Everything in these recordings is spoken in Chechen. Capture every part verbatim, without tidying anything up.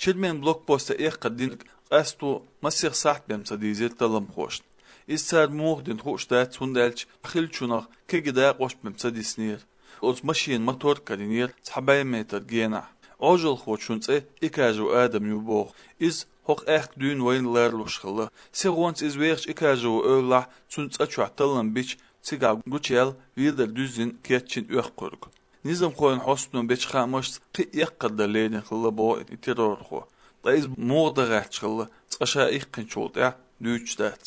Чермен блокпоста эккхар динарг къасто масех сахьт бен ца дийзира талламхошна. Иза цара муха дина хууш дац, хӀунда аьлча хиллачунах кегий дакъош бен ца диснера. Оцу машенан мотор карийнера цхьа бӀе метр генахь. Ӏожалхочун цӀе Икажев Адам ю боху. Иза хӀокху аьхка дуьйна вайна лоруш хилла. Сихонца иза вехачу Икажево эвлахь, цуьнан цӀа чохь таллам бича, цигахь гучуяьлла, ведар дуьззина кечйина оьккхург. Низамхойн хьостано бечу хаамашца, кхин а эккхар дан лерина хилла боху и террорхо. Ткъа иза муха дан гӀерташ хилла, цкъа ша иккхинчул тӀаьхьа дуьйцуш дац.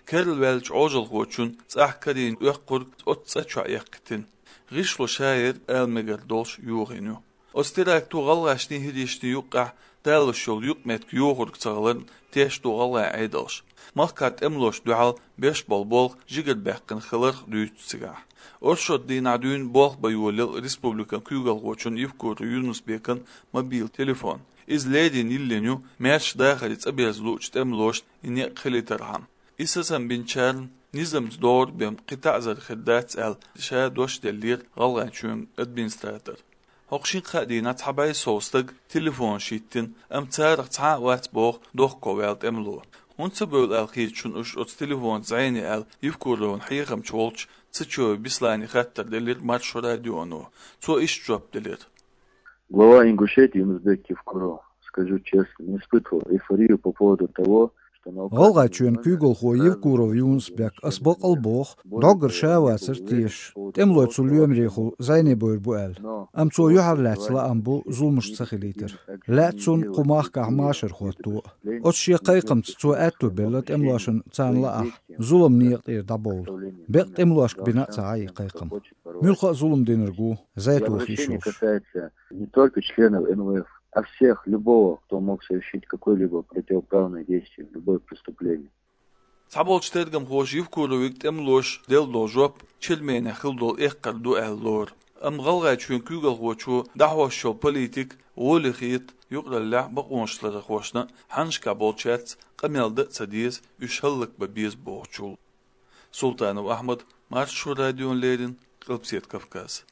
Керла ваьллачу Ӏожалхочун цӀахь карийна оьккхург оцу цӀа чохь эккхийтина. ГӀишло ша ерг ала мегар долуш йохийна ю. Оцу теракто гӀалгӀашний, хӀирийшний юккъехь далош йолу юкъаметтиг йохург ца хиларна тешна ду гӀалгӀайн Ӏедалш. Махкахь тӀемалошна дуьхьал беш болу болх жигарабаьккхина хиларх дуьйцу цигахь. Оршот дийнахь дуьйна болх бан йолаелла республикан куьйгалхочун Евкуров Юнус-Бекан мобил телефон. Иза леррина йиллина ю, маьрша дахаре цӀа берза луучу тӀемалошна и некъ хилийтархьама. И сацам бинчарна низамца догӀург бен кхин таӀзар хир дац аьлла, ша дош деллера ГӀалгӀайчоьнан администратор. ХӀокху шина-кхаа дийнахь цхьа бӀе сов стаг телефонаш йиттина, амма царах цхьа а вац боху дохко ваьлла тӀемало. ХӀунда ца бевлла аьлла хеташ шуна уьш оцу телефонца зӀене аьлла, Евкуровн хьехамча волчу Цечоев Беслане хаттар делира Маршо радионо. Цо иштта жоп делира. Глава Ингушетии Юнус-Бек Евкуров, скажу честно, не испытывал эйфорию по поводу того, что на Украине... ГӀалгӀайчоьнан куьйгалхо Евкуров Юнус-Бек, ас бакъ а боху, доггара ша а вацара тешаш, тӀемалой цу лоьмарехула зӀене бевр бу аьлла. Амма цо юьхьарлаьцна лаам бу зуламаш ца хилийтар. Лаьа цунна кху махкахь машар хӀотто а. Оцу шен кхайкхамца цо аьтто белла тӀемалошна царна лаахь зулам некъа тӀера дӀабовла. Бекъа тӀемалошка бина а ца Ӏа и кхайкхам. Муьлхха а зулам динарг ву, зӀе тохийш йолуш. Касается не только членов Н В Ф, а всех, любого, кто мог совершить какое-либо противоправное действие, любое преступление. Цхьаболчу тергамхоша Евкуровиг тӀемалоша делла долу жоп Черменехь хилла долу эккхар ду аьлла лору. Амма ГӀалгӀайчоьнан куьйгалхочо дӀахьош йолу политика гӀоле хета юкъараллехь бакъонашларъярхошна, хьаннашкахь болчаьрца къамел дан а ца деза, уьш хӀаллакбан беза бохучул. Султанов Ахьмад, Маршо радиона леррина, Къилбаседа Кавказ.